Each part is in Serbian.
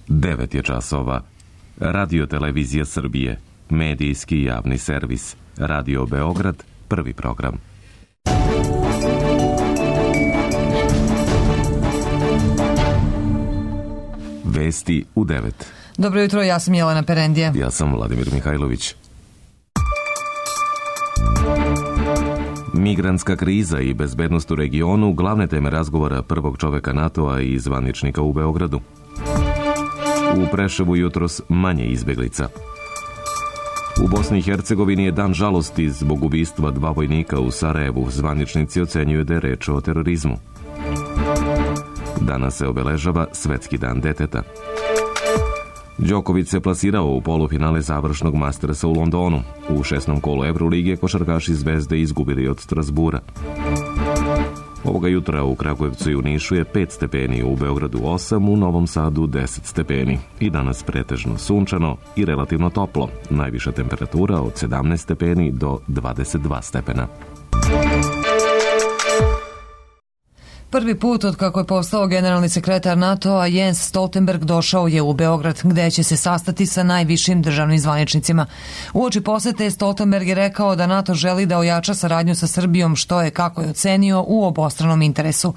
9 je časova. Radio Televizija Srbije, medijski javni servis, Radio Beograd, prvi program. Vesti u 9. Dobro jutro, ja sam Jelena Perendija. Ja sam Vladimir Mihajlović. Migrantska kriza i bezbednost u regionu glavne teme razgovora prvog čoveka NATO-a i zvaničnika u Beogradu. U Preševu jutros manje izbeglica. U Bosni i Hercegovini je dan žalosti zbog ubistva 2 vojnika u Sarajevu. Zvaničnici ocenjuju da je reč o terorizmu. Danas se obeležava Svetski dan deteta. Đoković se plasirao u polufinale završnog Mastersa u Londonu. U 6. kolu Evrolige košarkaši Zvezde izgubili od Strasbura. Ovoga jutra u Kragujevcu i u Nišu je 5 stepeni, u Beogradu 8, u Novom Sadu 10 stepeni. I danas pretežno sunčano i relativno toplo. Najviša temperatura od 17 stepeni do 22 stepena. Prvi put od kako je postao generalni sekretar NATO-a Jens Stoltenberg došao je u Beograd, gde će se sastati sa najvišim državnim zvaničnicima. Uoči posete Stoltenberg je rekao da NATO želi da ojača saradnju sa Srbijom, što je, kako je ocenio, u obostranom interesu.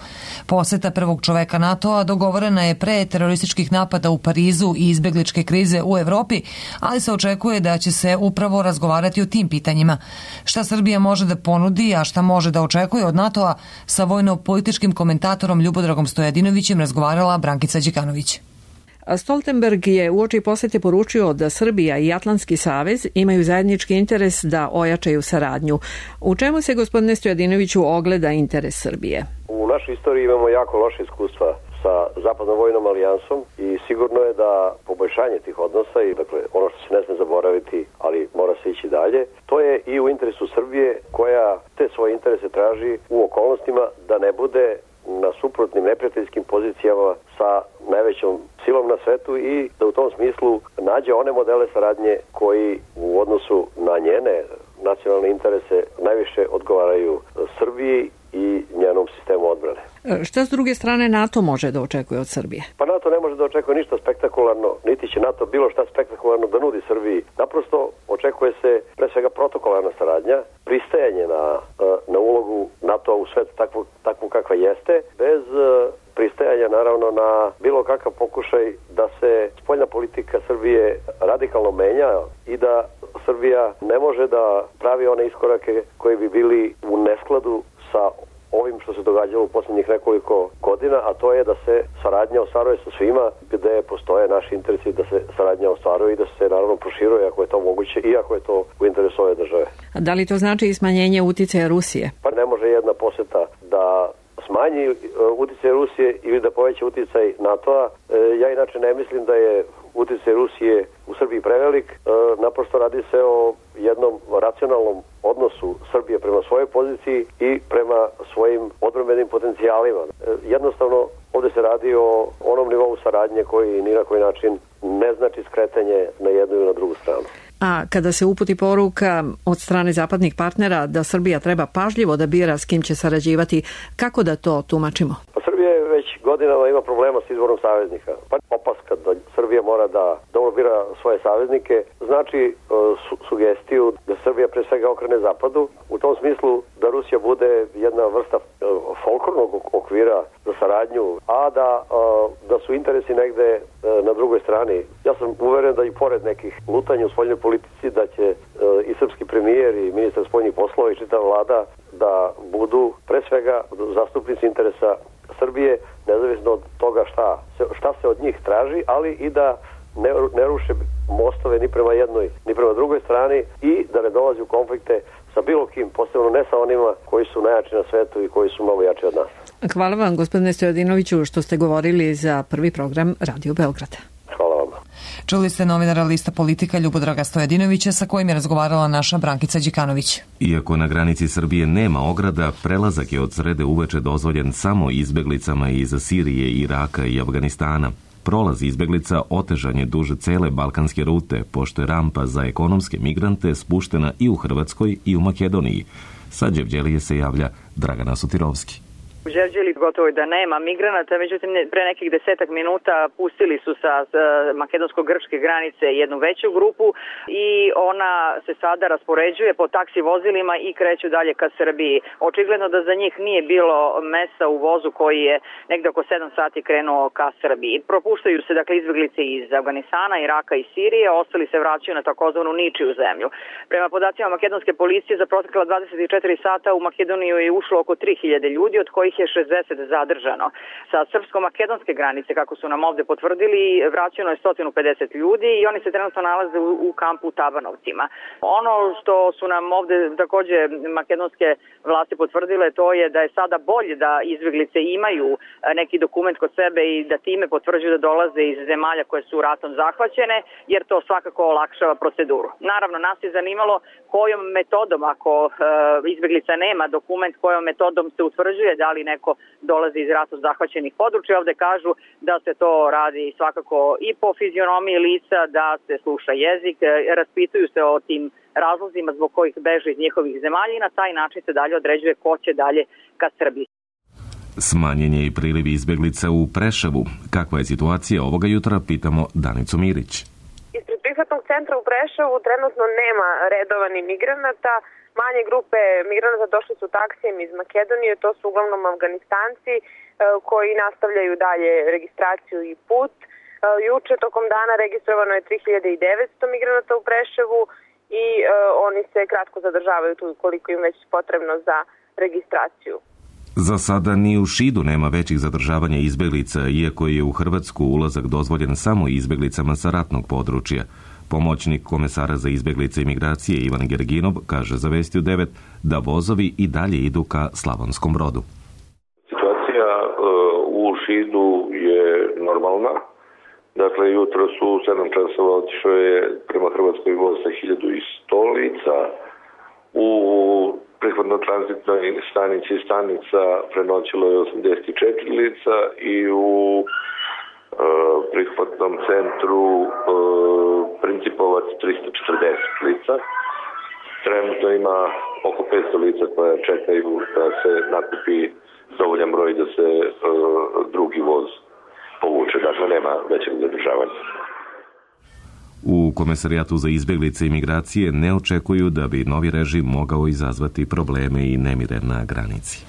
Poseta prvog čoveka NATO-a dogovorena je pre terorističkih napada u Parizu i izbegličke krize u Evropi, ali se očekuje da će se upravo razgovarati o tim pitanjima. Šta Srbija može da ponudi, a šta može da očekuje od NATO-a, sa vojno-političkim komentatorom Ljubodragom Stojadinovićem razgovarala Brankica Đikanović. Stoltenberg je uoči posete poručio da Srbija i Atlantski savez imaju zajednički interes da ojačaju saradnju. U čemu se, gospodine Stojadinoviću, ogleda interes Srbije? U našoj istoriji imamo jako loše iskustva sa Zapadnom vojnom alijansom i sigurno je da poboljšanje tih odnosa i dakle ono što se ne sme zaboraviti, ali mora se ići dalje, to je i u interesu Srbije koja te svoje interese traži u okolnostima da ne bude na suprotnim neprijateljskim pozicijama sa najvećom silom na svetu i da u tom smislu nađe one modele saradnje koji u odnosu na njene nacionalne interese najviše odgovaraju Srbiji i njenom sistemu odbrane. Šta s druge strane NATO može da očekuje od Srbije? Pa NATO ne može da očekuje ništa spektakularno, niti će NATO bilo šta spektakularno da nudi Srbiji. Naprosto očekuje se pre svega protokolarna saradnja, pristajanje na ulogu NATO u svetu takvu kakva jeste, bez pristajanja naravno na bilo kakav pokušaj da se spoljna politika Srbije radikalno menja i da Srbija ne može da pravi one iskorake koji bi bili u neskladu sa ovim što se događalo u posljednjih nekoliko godina, a to je da se saradnja ostvaruje sa svima gde postoje naši interesi da se saradnja ostvaruje i da se naravno proširuje ako je to moguće i ako je to u interesu ove države. A da li to znači i smanjenje uticaja Rusije? Pa ne može jedna poseta da smanji uticaj Rusije ili da poveća uticaj NATO-a. Ja inače ne mislim da je uticaj Rusije u Srbiji prevelik. Naprosto radi se o jednom racionalnom odnosu Srbije prema svojoj poziciji i prema svojim odbrambenim potencijalima. Jednostavno ovdje se radi o onom nivou saradnje koji ni na koji način ne znači skretanje na jednu ili na drugu stranu. A kada se uputi poruka od strane zapadnih partnera da Srbija treba pažljivo da bira s kim će sarađivati, kako da to tumačimo? Pa Srbija već godinama ima problema s izborom saveznika. Pa opaska da Srbija mora da dobro bira svoje saveznike znači sugestiju da Srbija pre svega okrene zapadu. U tom smislu da Rusija bude jedna vrsta folklornog okvira za saradnju, a da su interesi negde na drugoj strani. Ja sam uveren da i pored nekih lutanja u spoljnoj politici da će i srpski premijer i ministar spoljnih poslova i čitava vlada da budu pre svega zastupnici interesa Srbije, nezavisno od toga šta se od njih traži, ali i da ne ruše mostove ni prema jednoj ni prema drugoj strani i da ne dolazi u konflikte sa bilo kim, posebno ne sa onima koji su najjači na svetu i koji su mnogo jači od nas. Hvala vam, gospodine Stojadinoviću, što ste govorili za prvi program Radio Beograda. Hvala vam. Čuli ste novinara lista Politika Ljubodraga Stojadinovića sa kojim je razgovarala naša Brankica Đikanović. Iako na granici Srbije nema ograda, prelazak je od srede uveče dozvoljen samo izbeglicama iz Sirije, Iraka i Afganistana. Prolaz izbeglica otežan je duže cele balkanske rute, pošto je rampa za ekonomske migrante spuštena i u Hrvatskoj i u Makedoniji. Sa Đevđelije se javlja Dragana Sutirovski. U Đerđeli gotovo da nema migranata, međutim pre nekih 10 minuta pustili su sa makedonsko-grčke granice jednu veću grupu i ona se sada raspoređuje po taksi vozilima i kreću dalje ka Srbiji. Očigledno da za njih nije bilo mesta u vozu koji je negde oko 7 sati krenuo ka Srbiji. Propuštaju se dakle izbeglice iz Afganistana, Iraka i Sirije, ostali se vraćaju na takozvanu ničiju zemlju. Prema podacima makedonske policije za protekla 24 sata u Makedoniju je ušlo oko 3000 ljudi, od kojih je 60 zadržano. Sa srpsko-makedonske granice, kako su nam ovde potvrdili, vraćeno je 150 ljudi i oni se trenutno nalaze u kampu u Tabanovcima. Ono što su nam ovde takođe makedonske vlasti potvrdile, to je da je sada bolje da izbeglice imaju neki dokument kod sebe i da time potvrđuju da dolaze iz zemalja koje su ratom zahvaćene, jer to svakako olakšava proceduru. Naravno, nas je zanimalo kojom metodom, ako izbeglica nema dokument, kojom metodom se utvrđuje da li neko dolazi iz ratom zahvaćenih područja. Ovde kažu da se to radi svakako i po fizionomiji lica, da se sluša jezik, raspituju se o tim razlozima zbog kojih beže iz njihovih zemalja i na taj način se dalje određuje ko će dalje ka Srbiji. Smanjen je i priliv izbeglica u Preševu. Kakva je situacija ovoga jutra, pitamo Danicu Mirić. Ispred prihvatnog centra u Preševu trenutno nema redova ni migranata. Manje grupe migranata došli su taksijem iz Makedonije, to su uglavnom Afganistanci koji nastavljaju dalje registraciju i put. Juče tokom dana registrovano je 3900 migranata u Preševu i oni se kratko zadržavaju tu koliko im već potrebno za registraciju. Za sada ni u Šidu nema većih zadržavanja izbeglica, iako je u Hrvatsku ulazak dozvoljen samo izbeglicama sa ratnog područja. Pomoćnik komesara za izbeglice i migracije Ivan Gerginov kaže za Vestiju 9 da vozovi i dalje idu ka Slavonskom Brodu. Situacija u Šidu je normalna. Dakle, jutro su 7 časova otišao je prema Hrvatskoj voz sa 1100 lica. U prihvatno-tranzitnoj stanici stanica prenoćilo je 84 lica i u prihvatnom centru Principovac 340 lica. Trenutno ima oko 500 lica koja čekaju da se nakupi dovoljan broj da se drugi voz povuče. Dakle, nema većeg zadržavanja. U Komesarijatu za izbeglice i migracije ne očekuju da bi novi režim mogao izazvati probleme i nemire na granici.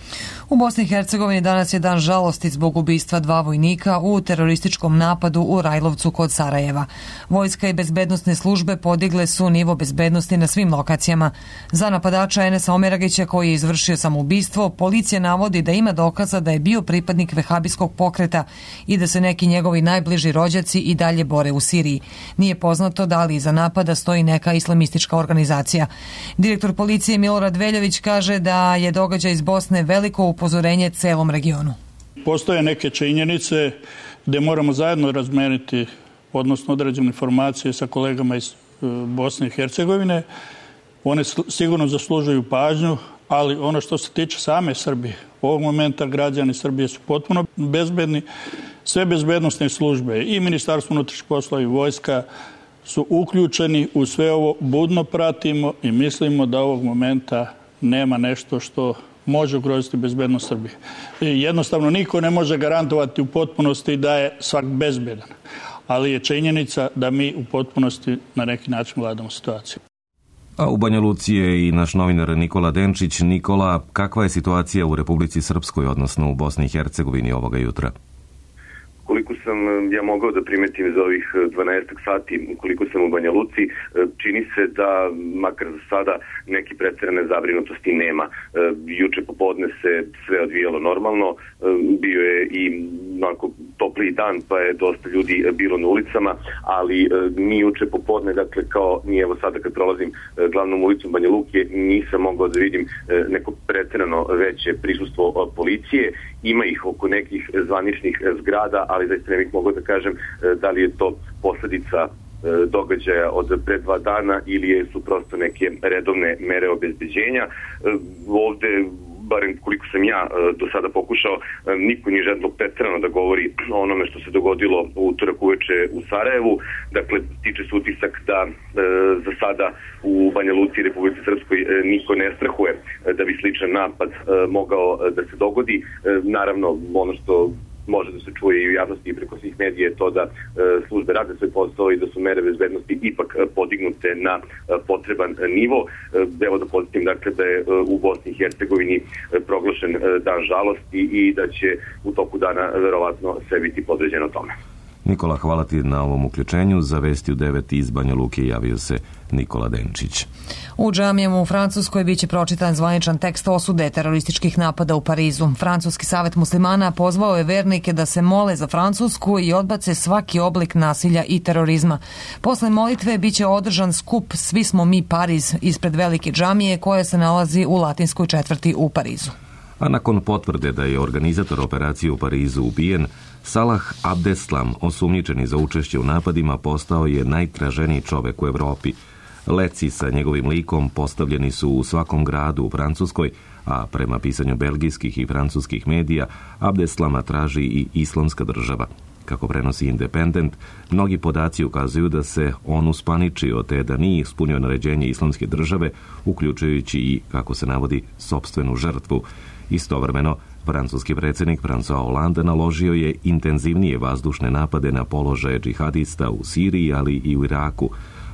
U Bosni i Hercegovini danas je dan žalosti zbog ubistva 2 vojnika u terorističkom napadu u Rajlovcu kod Sarajeva. Vojska i bezbednosne službe podigle su nivo bezbednosti na svim lokacijama. Za napadača Enesa Omeragića, koji je izvršio samoubistvo, policija navodi da ima dokaza da je bio pripadnik vehabijskog pokreta i da se neki njegovi najbliži rođaci i dalje bore u Siriji. Nije poznato da li iza napada stoji neka islamistička organizacija. Direktor policije Milorad Veljović kaže da je događaj iz Bosne veliko upozorenje celom regionu. Postoje neke činjenice gde moramo zajedno razmeniti, odnosno određene informacije sa kolegama iz Bosne i Hercegovine. One sigurno zaslužuju pažnju, ali ono što se tiče same Srbije, ovog momenta građani Srbije su potpuno bezbedni. Sve bezbednosne službe i Ministarstvo unutrašnjih poslova i vojska su uključeni u sve ovo, budno pratimo i mislimo da ovog momenta nema nešto što može ugroziti bezbednost Srbije. Jednostavno niko ne može garantovati u potpunosti da je svak bezbedan, ali je činjenica da mi u potpunosti na neki način vladamo situaciju. A u Banja Luci je i naš novinar Nikola Denčić. Nikola, kakva je situacija u Republici Srpskoj, odnosno u Bosni i Hercegovini ovoga jutra? Koliko sam ja mogao da primetim za ovih 12 sati, koliko sam u Banja Luci, čini se da, makar za sada, neki preterane zabrinutosti nema. Juče popodne se sve odvijalo normalno, bio je i onako topliji dan, pa je dosta ljudi bilo na ulicama, ali ni juče popodne, dakle kao ni evo sada kad prolazim glavnom ulicom Banja Luke, nisam mogao da vidim neko preterano veće prisustvo policije. Ima ih oko nekih zvaničnih zgrada, ali zaista ne bih mogao da kažem da li je to posledica događaja od pre 2 dana ili su prosto neke redovne mere obezbeđenja. Ovde barem koliko sam ja do sada pokušao, niko nije želio preterano da govori o onome što se dogodilo u utorak uveče u Sarajevu. Dakle, tiče se utisak da za sada u Banja Luci i Republici Srpskoj niko ne strahuje da bi sličan napad mogao da se dogodi. Naravno, ono što može da se čuje i u javnosti i preko svih medija je to da službe rade svoj posao i da su mere bezbednosti ipak podignute na potreban nivo. Evo da podsjetim dakle da je u Bosni i Hercegovini proglašen dan žalosti i da će u toku dana verovatno sve biti podređeno tome. Nikola, hvala ti na ovom uključenju. Za Vesti u 9 iz Banja Luke javio se Nikola Denčić. U džamijama u Francuskoj biće pročitan zvaničan tekst osude terorističkih napada u Parizu. Francuski savet muslimana pozvao je vernike da se mole za Francusku i odbace svaki oblik nasilja i terorizma. Posle molitve biće održan skup Svi smo mi Pariz ispred velike džamije koja se nalazi u latinskoj četvrti u Parizu. A nakon potvrde da je organizator operacije u Parizu ubijen, Salah Abdeslam, osumnjičeni za učešće u napadima, postao je najtraženiji čovek u Evropi. Leci sa njegovim likom postavljeni su u svakom gradu u Francuskoj, a prema pisanju belgijskih i francuskih medija, Abdeslama traži i Islamska država. Kako prenosi Independent, mnogi podaci ukazuju da se on uspaničio te da nije ispunio naređenje Islamske države, uključujući i, kako se navodi, sopstvenu žrtvu. Istovremeno, francuski predsjednik François Hollande naložio je intenzivnije vazdušne napade na položaje džihadista u Siriji, ali i u Iraku.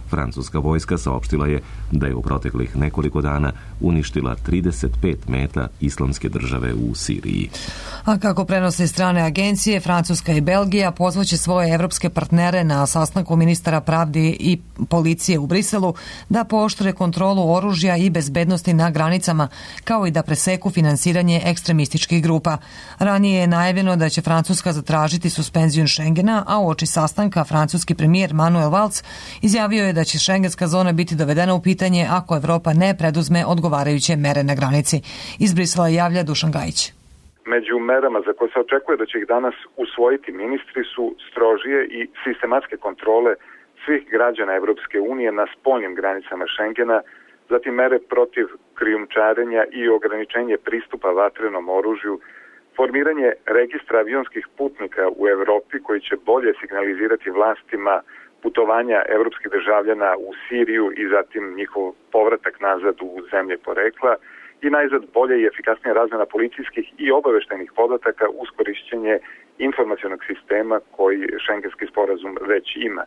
Francuska vojska saopštila je da je u proteklih nekoliko dana uništila 35 meta Islamske države u Siriji. A kako prenose strane agencije, Francuska i Belgija pozvaće svoje evropske partnere na sastanku ministara pravdi i policije u Briselu da pooštre kontrolu oružja i bezbednosti na granicama, kao i da preseku finansiranje ekstremističkih grupa. Ranije je najavljeno da će Francuska zatražiti suspenziju Schengena, a uoči sastanka francuski premijer Manuel Valls izjavio je da će šengenska zona biti dovedena u pitanje ako Evropa ne preduzme odgovarajuće mere na granici. Iz Brisela javlja Dušan Gajić. Među merama za koje se očekuje da će ih danas usvojiti ministri su strožije i sistematske kontrole svih građana Evropske unije na spoljnim granicama Schengena, zatim mere protiv krijumčarenja i ograničenje pristupa vatrenom oružju, formiranje registra avionskih putnika u Evropi koji će bolje signalizirati vlastima putovanja evropskih državljana u Siriju i zatim njihov povratak nazad u zemlje porekla i najzad bolje i efikasnija razmjena policijskih i obaveštajnih podataka uz korišćenje informacionog sistema koji šengenski sporazum već ima.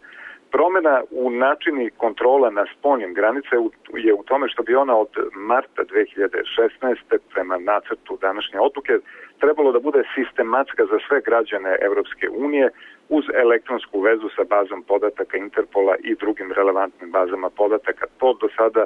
Promjena u načini kontrola na spoljnim granice je u tome što bi ona od marta 2016. prema nacrtu današnje odluke trebalo da bude sistematska za sve građane Evropske unije uz elektronsku vezu sa bazom podataka Interpola i drugim relevantnim bazama podataka. To do sada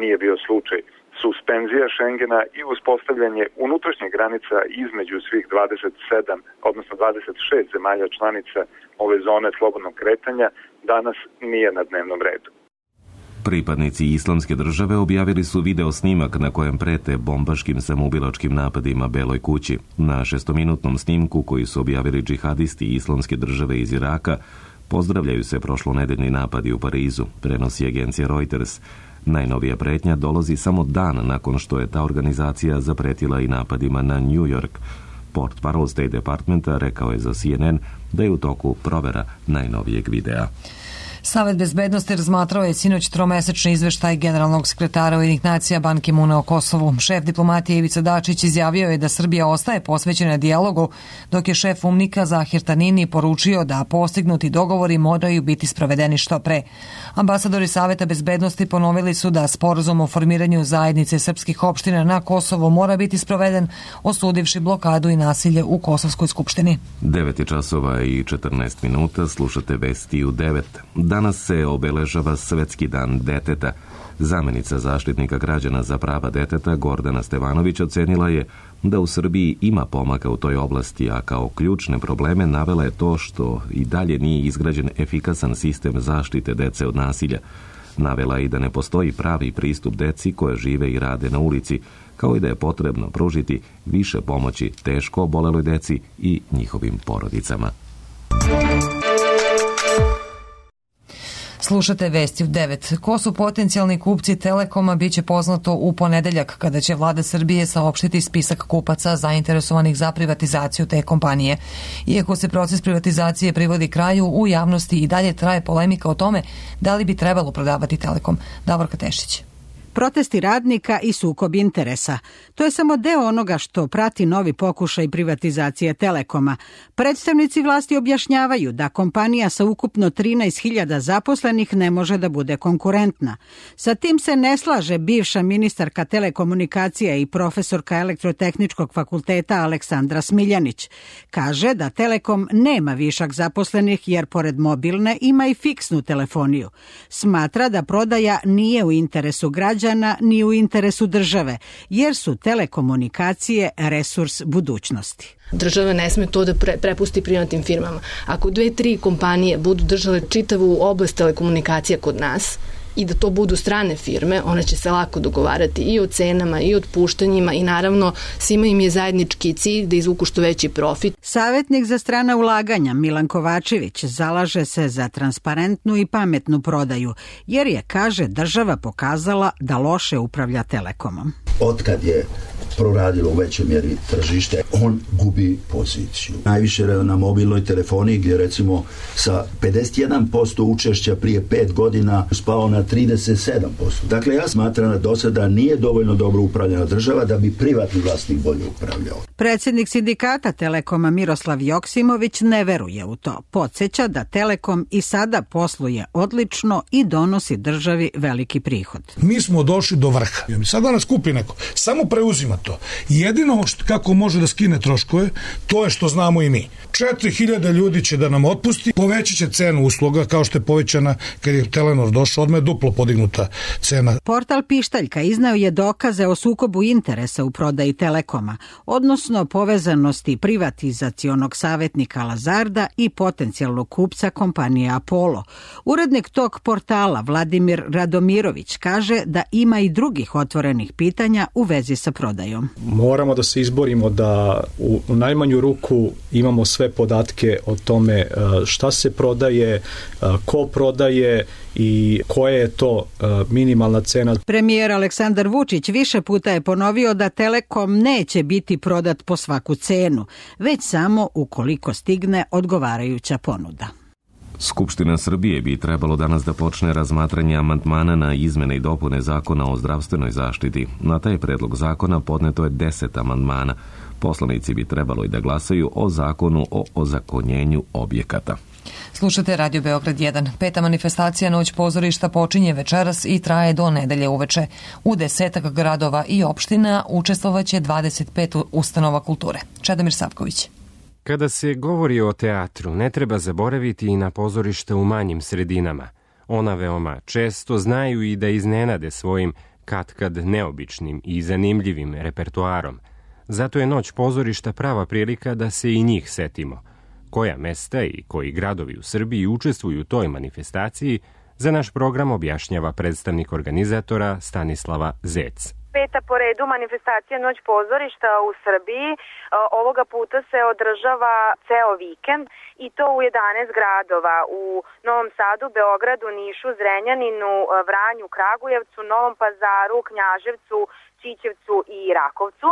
nije bio slučaj. Suspenzija Schengena i uspostavljanje unutrašnjih granica između svih 27, odnosno 26 zemalja članica ove zone slobodnog kretanja danas nije na dnevnom redu. Pripadnici Islamske države objavili su video snimak na kojem prete bombaškim samoubilačkim napadima Beloj kući. Na 6-minutnom snimku koji su objavili džihadisti Islamske države iz Iraka pozdravljaju se prošlonedeljni napadi u Parizu, prenosi agencija Reuters. Najnovija pretnja dolazi samo dan nakon što je ta organizacija zapretila i napadima na New York. Portparol State Departmenta rekao je za CNN da je u toku provera najnovijeg videa. Savet bezbednosti razmatrao je sinoć tromesečni izveštaj generalnog sekretara Ujedinjenih nacija Ban Ki-moona o Kosovu. Šef diplomatije Ivica Dačić izjavio je da Srbija ostaje posvećena dijalogu, dok je šef UNMIK-a Zahir Tanini poručio da postignuti dogovori moraju biti sprovedeni što pre. Ambasadori Saveta bezbednosti ponovili su da sporazum o formiranju zajednice srpskih opština na Kosovu mora biti sproveden, osudivši blokadu i nasilje u Kosovskoj skupštini. 9:14, slušate Vesti u 9. Danas se obeležava Svetski dan deteta. Zamenica zaštitnika građana za prava deteta Gordana Stevanović ocenila je da u Srbiji ima pomaka u toj oblasti, a kao ključne probleme navela je to što i dalje nije izgrađen efikasan sistem zaštite dece od nasilja. Navela i da ne postoji pravi pristup deci koje žive i rade na ulici, kao i da je potrebno pružiti više pomoći teško oboleloj deci i njihovim porodicama. Slušate vesti u 9. Ko su potencijalni kupci Telekoma biće poznato u ponedeljak kada će vlada Srbije saopštiti spisak kupaca zainteresovanih za privatizaciju te kompanije. Iako se proces privatizacije privodi kraju, u javnosti i dalje traje polemika o tome da li bi trebalo prodavati Telekom. Davorka Tešić. Protesti radnika i sukob interesa. To je samo deo onoga što prati novi pokušaj privatizacije Telekoma. Predstavnici vlasti objašnjavaju da kompanija sa ukupno 13.000 zaposlenih ne može da bude konkurentna. Sa tim se ne slaže bivša ministarka telekomunikacija i profesorka Elektrotehničkog fakulteta Aleksandra Smiljanić. Kaže da Telekom nema višak zaposlenih jer pored mobilne ima i fiksnu telefoniju. Smatra da prodaja nije u interesu građana ni u interesu države, jer su telekomunikacije resurs budućnosti. Država ne sme to da prepusti privatnim firmama. Ako 2-3 kompanije budu držale čitavu oblast telekomunikacija kod nas i da to budu strane firme, one će se lako dogovarati i o cenama i o otpuštanjima i naravno svima im je zajednički cilj da izvuku što veći profit. Savjetnik za strana ulaganja Milan Kovačević zalaže se za transparentnu i pametnu prodaju, jer je, kaže, država pokazala da loše upravlja Telekomom. Otkad je proradilo u većoj mjeri tržište, on gubi poziciju. Najviše na mobilnoj telefoniji gdje recimo sa 51% učešća prije 5 godina spao na 37%. Dakle, ja smatram da do sada nije dovoljno dobro upravljena država da bi privatni vlasnik bolje upravljao. Predsjednik sindikata Telekoma Miroslav Joksimović ne veruje u to. Podsjeća da Telekom i sada posluje odlično i donosi državi veliki prihod. Mi smo došli do vrha. Sada nas kupi neko. Samo preuzima to. Jedino kako može da skine troškove, to je što znamo i mi. 4.000 ljudi će da nam otpusti, povećat će cenu usluga kao što je povećana kad je Telenor došao, odmah je duplo podignuta cena. Portal Pištaljka izneo je dokaze o sukobu interesa u prodaji Telekoma, odnosno povezanosti privatizacionog savjetnika Lazarda i potencijalnog kupca kompanije Apollo. Urednik tog portala Vladimir Radomirović kaže da ima i drugih otvorenih pitanja u vezi sa prodajom. Moramo da se izborimo da u najmanju ruku imamo sve podatke o tome šta se prodaje, ko prodaje i koja je to minimalna cena. Premijer Aleksandar Vučić više puta je ponovio da Telekom neće biti prodat po svaku cenu, već samo ukoliko stigne odgovarajuća ponuda. Skupština Srbije bi trebalo danas da počne razmatranje amandmana na izmene i dopune Zakona o zdravstvenoj zaštiti. Na taj predlog zakona podneto je 10 amandmana. Poslanici bi trebalo i da glasaju o zakonu o ozakonjenju objekata. Slušate Radio Beograd 1. 5. manifestacija Noć pozorišta počinje večeras i traje do nedelje uveče. U 10 gradova i opština učestvovaće 25 ustanova kulture. Čedomir Savković. Kada se govori o teatru, ne treba zaboraviti i na pozorišta u manjim sredinama. Ona veoma često znaju i da iznenade svojim katkad neobičnim i zanimljivim repertoarom. Zato je Noć pozorišta prava prilika da se i njih setimo. Koja mesta i koji gradovi u Srbiji učestvuju u toj manifestaciji, za naš program objašnjava predstavnik organizatora Stanislava Zec. Peta po redu manifestacija Noć pozorišta u Srbiji. Ovoga puta se održava ceo vikend i to u 11 gradova. U Novom Sadu, Beogradu, Nišu, Zrenjaninu, Vranju, Kragujevcu, Novom Pazaru, Knjaževcu, Ćićevcu i Rakovcu.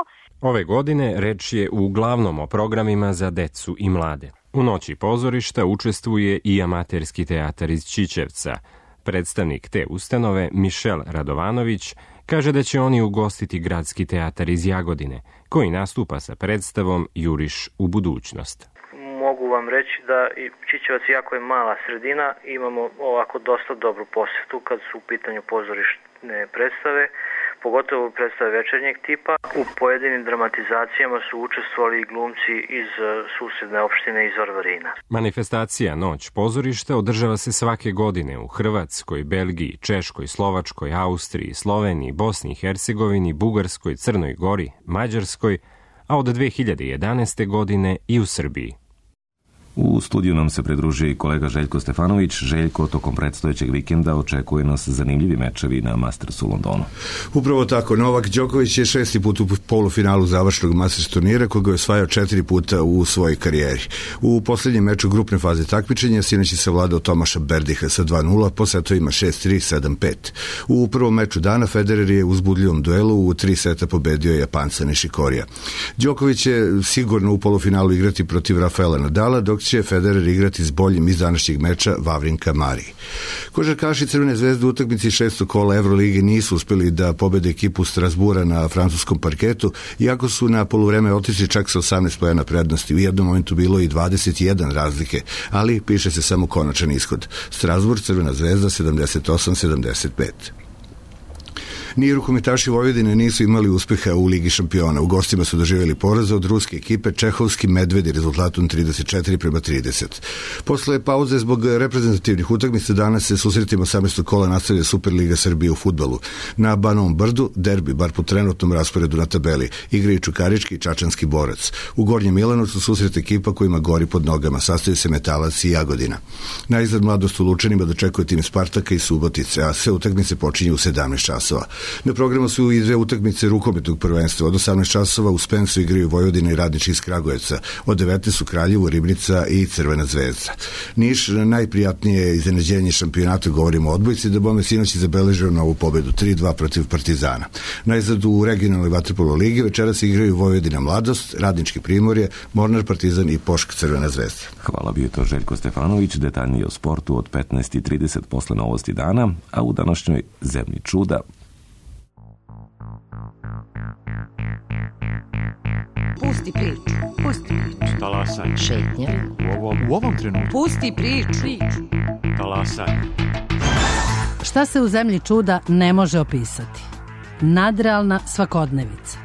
Ove godine reč je uglavnom o programima za decu i mlade. U Noći pozorišta učestvuje i amaterski teatar iz Ćićevca. Predstavnik te ustanove, Mišel Radovanović, kaže da će oni ugostiti gradski teatar iz Jagodine, koji nastupa sa predstavom Juriš u budućnost. Mogu vam reći da i Ćićevac, jako je mala sredina, imamo ovako dosta dobru posetu kad su u pitanju pozorišne predstave, pogotovo predstave večernjeg tipa. U pojedinim dramatizacijama su učestvovali i glumci iz susedne opštine iz Varvarina. Manifestacija Noć pozorišta održava se svake godine u Hrvatskoj, Belgiji, Češkoj, Slovačkoj, Austriji, Sloveniji, Bosni i Hercegovini, Bugarskoj, Crnoj Gori, Mađarskoj, a od 2011. godine i u Srbiji. U studiju nam se pridružio i kolega Željko Stefanović. Željko, tokom predstojećeg vikenda očekuje nas zanimljivi mečevi na Mastersu u Londonu. Upravo tako, Novak Đoković je 6. put u polufinalu završnog Masters turnira, koga je osvajao 4 puta u svojoj karijeri. U posljednjem meču grupne faze takmičenja sinoć je savladao Tomaša Berdiha sa 2-0 po setovima 6-3, 7-5. U prvom meču dana Federer je u uzbudljivom duelu u 3 seta pobedio Japanca Nishikorija. Đoković će sigurno u polufinalu igrati protiv Rafaela Nadala, dok će Federer igrati s boljim iz današnjeg meča Vavrinka Mariji. Košarkaši Crvene zvezde u utakmici 6. kola Evrolige nisu uspjeli da pobede ekipu Strasbura na francuskom parketu, iako su na poluvreme otišli čak sa 18 poena prednosti. U jednom momentu bilo i 21 razlike, ali piše se samo konačan ishod. Strasbur, Crvena zvezda 78-75. Ni rukometaši Vojvodine nisu imali uspeha u Ligi šampiona. U gostima su doživjeli poraza od ruske ekipe Čehovski Medvedi rezultatom 34-30. Posle pauze zbog reprezentativnih utakmica danas se susretima 18. kola nastavlja Superliga Srbije u fudbalu. Na Banovom Brdu derbi, bar po trenutnom rasporedu na tabeli, igraju Čukarički i Čačanski Borac. U Gornjem Milanovcu susret ekipa kojima gori pod nogama, sastoji se Metalac i Jagodina. Najzad Mladost u Lučanima dočekuje tim Spartaka i Subotice, a sve utakmice počinju u 17 časova. Na programu su i 2 utakmice rukometnog prvenstva. Od 18 časova u Spensu igraju Vojvodina i Radnički iz Kragujevca. Od 19 su Kraljevo, Ribnica i Crvena zvezda. Niš, najprijatnije iznenađenje šampionata, govorimo o odbojci, da bome sinoć zabeležio novu pobedu 3-2 protiv Partizana. Najzad u regionalnoj vaterpolo ligi večeras igraju Vojvodina Mladost, Radnički Primorje, Mornar Partizan i Pošk Crvena zvezda. Hvala, bio to Željko Stefanović. Detaljnije o sportu od 15:30 posle novosti dana, a u današnjoj Zemlji čuda. Pusti priču. Pusti priču. Talasaj. Šetnja. U ovom trenutku. Pusti priču. Talasaj. Šta se u Zemlji čuda ne može opisati? Nadrealna svakodnevica.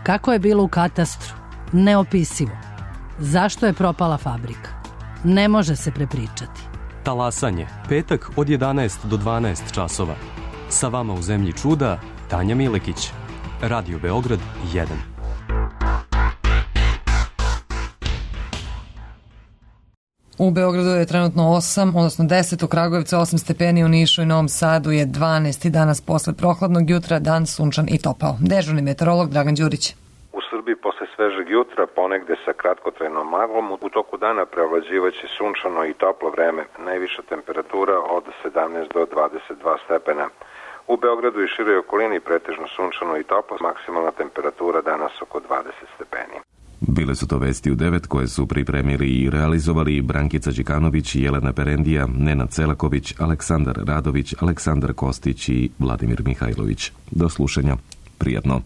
Kako je bilo u katastru? Neopisivo. Zašto je propala fabrika? Ne može se prepričati. Talasanje. Petak od 11 do 12 časova. Sa vama u Zemlji čuda Tanja Milekić. Radio Beograd 1. U Beogradu je trenutno 10, u Kragujevcu 8 stepeni, u Nišu i Novom Sadu je 12 i danas posle prohladnog jutra dan sunčan i topao. Dežurni meteorolog Dragan Đurić. U Srbiji posle svežeg jutra, ponegde sa kratkotrajnom maglom, u toku dana preovlađivaće sunčano i toplo vreme. Najviša temperatura od 17 do 22 stepena. U Beogradu i široj okolini pretežno sunčano i toplo, maksimalna temperatura danas oko 20 stepeni. Bile su to vesti u 9 koje su pripremili i realizovali Brankica Đikanović, Jelena Perendija, Nenad Celaković, Aleksandar Radović, Aleksandar Kostić i Vladimir Mihajlović. Do slušanja. Prijatno.